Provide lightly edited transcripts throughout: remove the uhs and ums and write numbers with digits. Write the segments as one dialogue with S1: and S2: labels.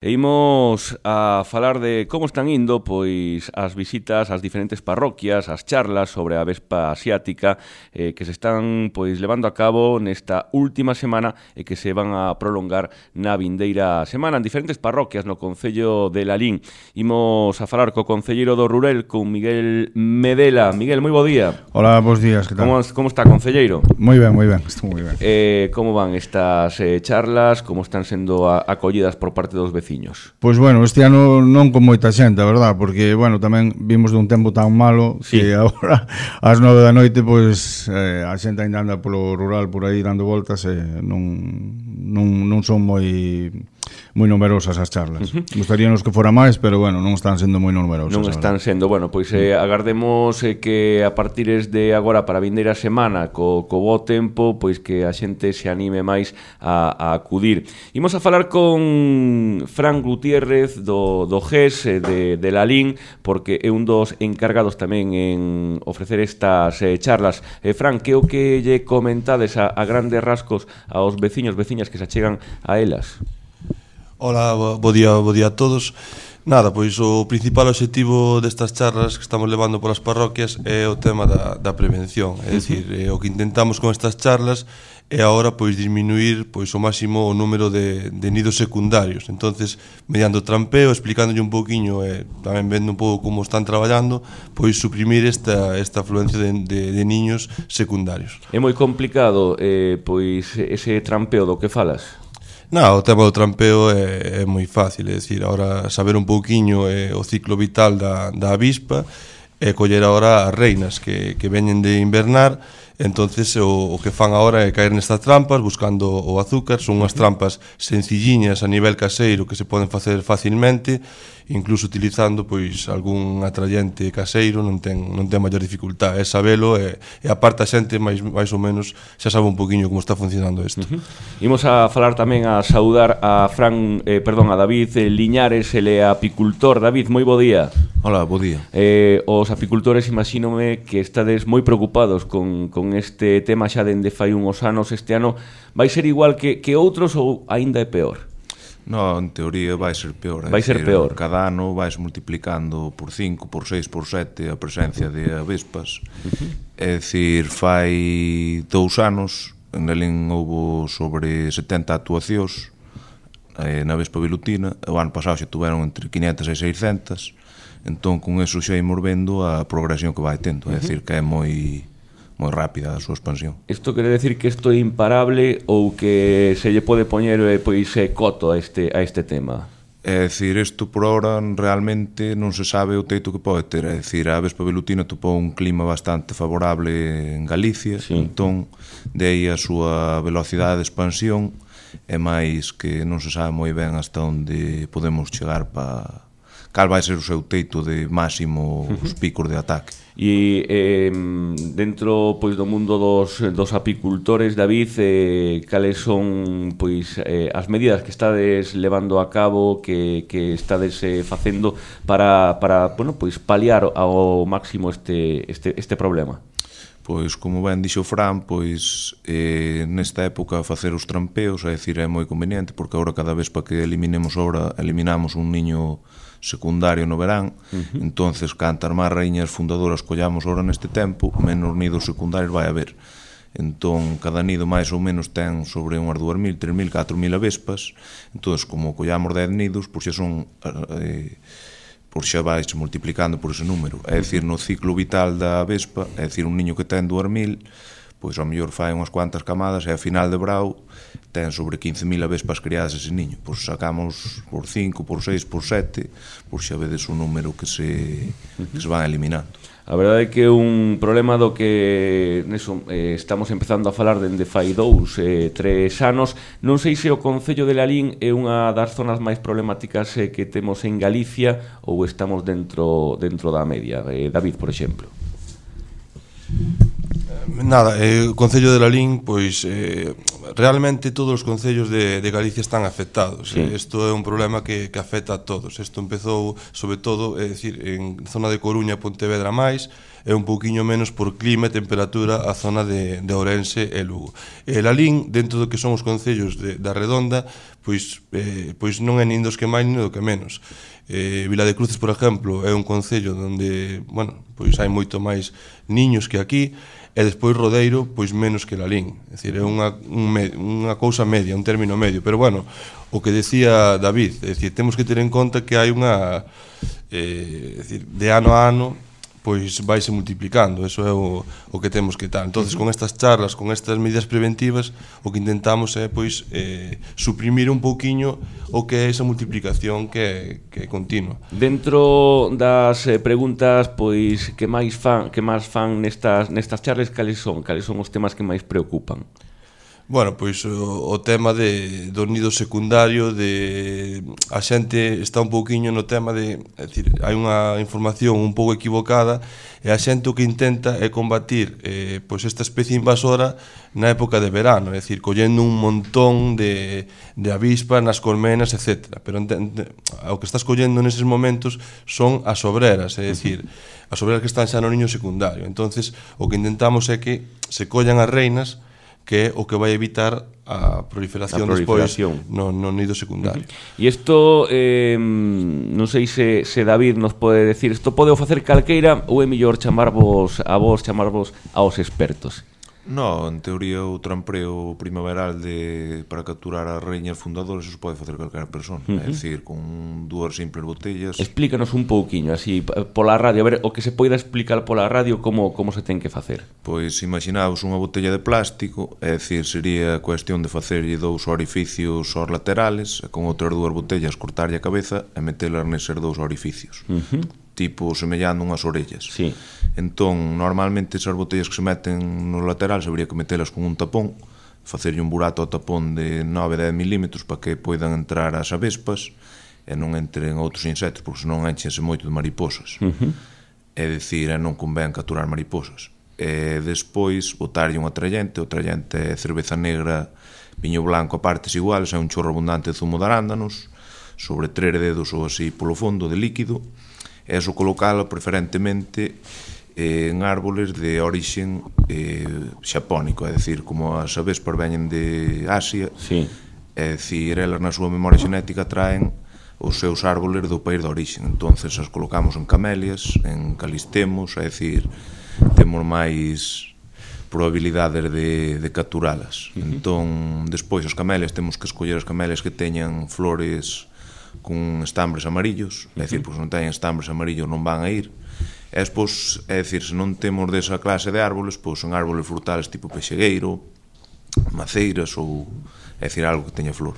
S1: E imos a falar de como están indo pois as visitas ás diferentes parroquias, as charlas sobre a Vespa asiática que se están pois levando a cabo nesta última semana e que se van a prolongar na vindeira semana en diferentes parroquias no concello de Lalín. Imos a falar co concelleiro do Rurel, con Miguel Medela. Miguel, moi bo día.
S2: Hola, bons días, que tal?
S1: Como está, concelleiro?
S2: Moi ben, estou moi ben.
S1: Como van estas charlas? Como están sendo acollidas por parte dos vecinos?
S2: Pois bueno, este ano non con moita xente, a verdad, porque, bueno, tamén vimos dun tempo tan malo que agora, ás 9 da noite, pois, a xente ainda anda polo rural por aí dando voltas e non son moi numerosas as charlas. Gustaríanos que fora máis, pero, bueno, non están sendo moi numerosas.
S1: Non están sendo, bueno, pois agardemos que a partir de agora para a vindeira semana, co bo tempo, pois que a xente se anime máis a acudir. Imos a falar con Fran Gutiérrez do GES de Lalín, porque é un dos encargados tamén en ofrecer estas charlas. Fran, que o que lle comentades a grandes rasgos aos veciños, veciñas que se achegan a elas?
S3: Hola, bo día a todos. Nada, pois o principal obxectivo destas charlas que estamos levando polas parroquias é o tema da prevención. É dicir, o que intentamos con estas charlas é agora pois disminuir pois o máximo o número de nidos secundarios. Entonces, mediante o trampeo, explicándolle un pouquiño e tamén vendo un pouco como están traballando, pois suprimir esta afluencia de niños secundarios.
S1: É moi complicado pois ese trampeo do que falas?
S3: O tema do trampeo é moi fácil, é dicir, agora saber un pouquiño o ciclo vital da avispa e coller agora as reinas que veñen de invernar. Entonces o que fan agora é caer nestas trampas buscando o azúcar. Son unhas trampas sencilliñas a nivel caseiro que se poden facer facilmente, incluso utilizando pois algún atrayente caseiro, non ten maior dificultade, é sabelo e a parte a xente máis ou menos xa sabe un poquinho como está funcionando isto.
S1: Imos a falar tamén a saudar a David Liñares, ele é apicultor. David, moi bo día.
S4: Hola, bo día.
S1: Os apicultores imagínome que estades moi preocupados con este tema xa dende fai uns anos. Este ano vai ser igual que outros ou aínda é peor?
S4: No, en teoría vai ser peor.
S1: Vai ser peor.
S4: Cada ano vais multiplicando por 5, por 6, por 7 a presencia de avespas. É dicir, fai 2 anos en Lalín houbo sobre 70 actuacións na vespa velutina. O ano pasado xa tuveron entre 500 e 600. Entón, con eso xa imos vendo a progresión que vai tendo. É dicir, que é moi rápida a súa expansión.
S1: Isto quere decir que isto é imparable ou que se lle pode poñer pois coto a este tema?
S4: É dicir, isto por ahora realmente non se sabe o teito que pode ter. É dicir, a vespa velutina topou un clima bastante favorable en Galicia, entón de aí a súa velocidade de expansión é máis que non se sabe moi ben hasta onde podemos chegar para cal vai ser o seu teito de máximo os picos de ataque.
S1: E dentro pois do mundo dos apicultores, David, cales son pois as medidas que estades levando a cabo, que estades facendo para bueno, pois paliar ao máximo este problema?
S4: Pois, como ben dixo Fran, pois nesta época facer os trampeos, é dicir, é moi conveniente, porque agora cada vez para que eliminamos un niño secundario no verán, entonces cantas máis raíñas fundadoras collamos ahora neste tempo, menos nidos secundarios vai haber. Entón, cada nido máis ou menos ten sobre unhas 2.000, 3.000, 4.000 avespas. Entón, como collamos 10 nidos, pois xa son por xa vais multiplicando por ese número. É dicir, no ciclo vital da avespa, é dicir, un niño que ten 2.000, pois ao mellor fai unhas cuantas camadas e a final de brao ten sobre 15.000 avespas criadas ese niño. Pois sacamos por 5, por 6, por 7, pois xa vedes o número que se van eliminando.
S1: A verdade é que é un problema do que estamos empezando a falar dende fai 2, 3 anos. Non sei se o concello de Lalín é unha das zonas máis problemáticas que temos en Galicia ou estamos dentro da media. David, por exemplo.
S3: Nada, o Concello de Lalín, pois realmente todos os concellos de Galicia están afectados.
S1: Sí.
S3: Isto é un problema que afecta a todos. Isto empezou, sobre todo, é dicir, en zona de Coruña, Pontevedra máis, e un pouquiño menos por clima e temperatura a zona de Ourense e Lugo. E Lalín, dentro do que son os concellos da Redonda, pois non é nin dos que máis nin do que menos. Vila de Cruces, por exemplo, é un concello onde, bueno, pois hai moito máis niños que aquí, e despois Rodeiro, pois menos que Lalín. É dicir, é unha cousa media, un término medio, pero bueno, o que decía David, é dicir, temos que ter en conta que hai unha é dicir, de ano a ano pois vaise multiplicando, eso é o que temos que tal. Entonces, con estas charlas, con estas medidas preventivas, o que intentamos é pois suprimir un pouquiño o que é esa multiplicación que é continua.
S1: Dentro das preguntas pois que máis fan nestas charlas, cales son os temas que máis preocupan?
S3: Bueno, pois o tema do nido secundario, a xente está un pouquiño no tema é dicir, hai unha información un pouco equivocada e a xente o que intenta é combatir pois esta especie invasora na época de verano, é dicir, collendo un montón de avispas nas colmenas, etc. Pero o que estás collendo neses momentos son as obreras, é dicir, as obreras que están xa no niño secundario. Entonces, o que intentamos é que se collan as reinas, que é o que vai evitar a proliferación despois no nido secundario.
S1: E isto, non sei se David nos pode decir, isto pode facer calqueira ou é mellor chamarvos aos expertos?
S4: No, en teoría o trampreo primaveral para capturar as reñas fundadoras eso pode facer calquera persona, é dicir, con dúas simples botellas.
S1: Explícanos un pouquiño, así, pola radio, a ver, o que se poida explicar pola radio como se ten que facer.
S4: Pois imaginaos unha botella de plástico, é dicir, sería cuestión de facerlle dous orificios aos laterales e con outras dúas botellas cortarlle a cabeza e metelas neses dous orificios. Tipo semellando unhas orellas.
S1: Sí.
S4: Entón, normalmente esas botellas que se meten no lateral habría que metelas con un tapón, facerlle un burato ao tapón de 9-10 milímetros para que poidan entrar as avespas e non entren outros insectos, porque senón enchense moito de mariposas. É dicir, non convén capturar mariposas. E despois botarlle un atrayente, o atrayente é cerveza negra, viño blanco a partes iguales, é un chorro abundante de zumo de arándanos, sobre 3 dedos ou así polo fondo de líquido, e eso colocalo preferentemente en árboles de orixen xapónico, é dicir, como as avespas veñen de Asia,
S1: sí.
S4: É dicir, elas na súa memoria xenética traen os seus árboles do país de orixen, entonces as colocamos en camelias, en calistemos, é dicir, temos máis probabilidades de capturalas. Entón, despois as camelias temos que escoller as camelias que teñan flores con estambres amarillos, é dicir, pois non teñen estambres amarillos non van a ir. E despois, é dicir, se non temos desa clase de árboles, pois son árboles frutales tipo pexegueiro, maceiras ou, é dicir, algo que teña flor.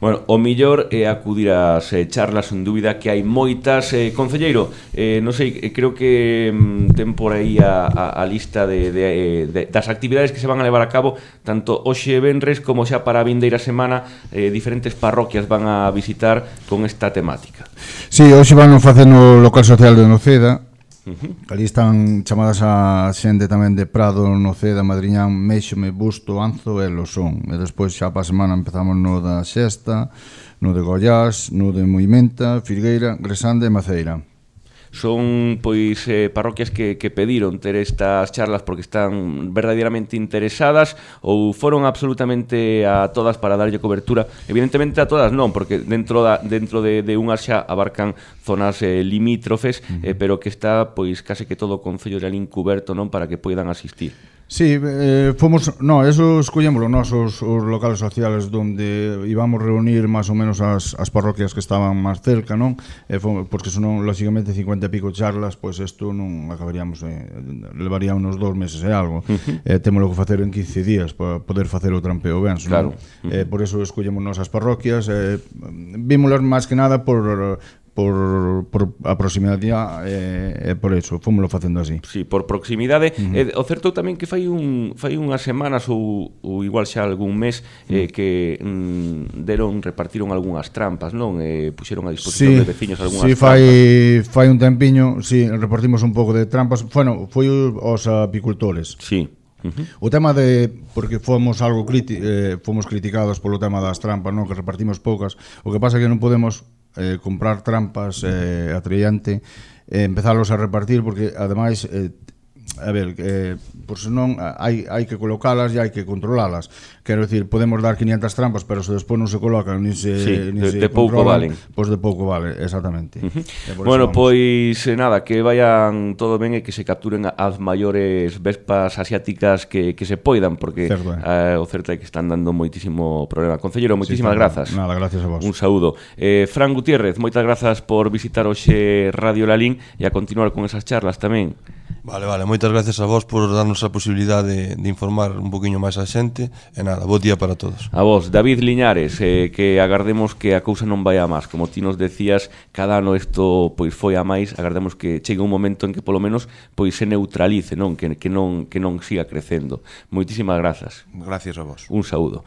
S1: Bueno, o mellor é acudir ás charlas, sen dúbida que hai moitas. Concelleiro, non sei, creo que ten por aí a lista das actividades que se van a levar a cabo tanto hoxe venres como xa para a vindeira semana. Diferentes parroquias van a visitar con esta temática.
S2: Sí, hoxe van a facer no local social de Noceda. Ali están chamadas a xente tamén de Prado, Noceda, Madriñán, Méxome, Busto, Anzo e Losón. E despois xa para a semana empezamos no da Xesta, no de Goiás, no de Moimenta, Filgueira, Gresande e Maceira.
S1: Son pois parroquias que pediron ter estas charlas porque están verdadeiramente interesadas ou foron absolutamente a todas para darlle cobertura? Evidentemente a todas non, porque dentro de unhas xa abarcan zonas limítrofes, pero que está pois case que todo o concello de Lalín cuberto, non, para que poidan asistir.
S2: Sí, eso escollémoslo nós os locales sociales onde íbamos reunir máis ou menos as parroquias que estaban máis cerca, non? Porque senón, lógicamente, 50 e pico charlas, pois isto non acabaríamos, levaría unos 2 meses e algo. Témolo que facer en 15 días para poder facer o trampeo ben,
S1: claro.
S2: Por eso escollemos nós as parroquias, vímolas máis que nada por a proximidade e por eso fomoslo facendo así.
S1: Sí, por proximidade. O certo tamén que fai unhas semanas ou igual xa algún mes que repartiron algunhas trampas, non? Puxeron a disposición de veciños algunhas trampas. Sí,
S2: fai un tempiño, sí, repartimos un pouco de trampas. Bueno, foi os apicultores.
S1: Sí.
S2: O tema de, porque fomos fomos criticados polo tema das trampas, non, que repartimos poucas, o que pasa é que non podemos comprar trampas a trillante, empezalos a repartir, porque ademais a ver, por senón hai que colocalas e hai que controlalas. Quero dicir, podemos dar 500 trampas, pero se despois non se colocan nin se
S1: de pouco valen.
S2: Pois de pouco vale, exactamente.
S1: Bueno, pois nada, que vayan todo ben e que se capturen as maiores vespas asiáticas que se poidan, porque o certo é que están dando moitísimo problema. Concelleiro, moitísimas grazas.
S2: Nada, gracias a vos.
S1: Un saúdo. Fran Gutiérrez, moitas grazas por visitar hoxe Radio Lalín e a continuar con esas charlas tamén.
S3: Vale, moitas gracias a vos por darnos a posibilidade de informar un poquinho máis a xente e nada, bo día para todos.
S1: A vos, David Liñares, que agardemos que a cousa non vai a máis, como ti nos decías, cada ano isto pois foi a máis, agardemos que chegue un momento en que polo menos pois se neutralice, non, que non siga crecendo. Moitísimas grazas.
S4: Gracias a vos.
S1: Un saúdo.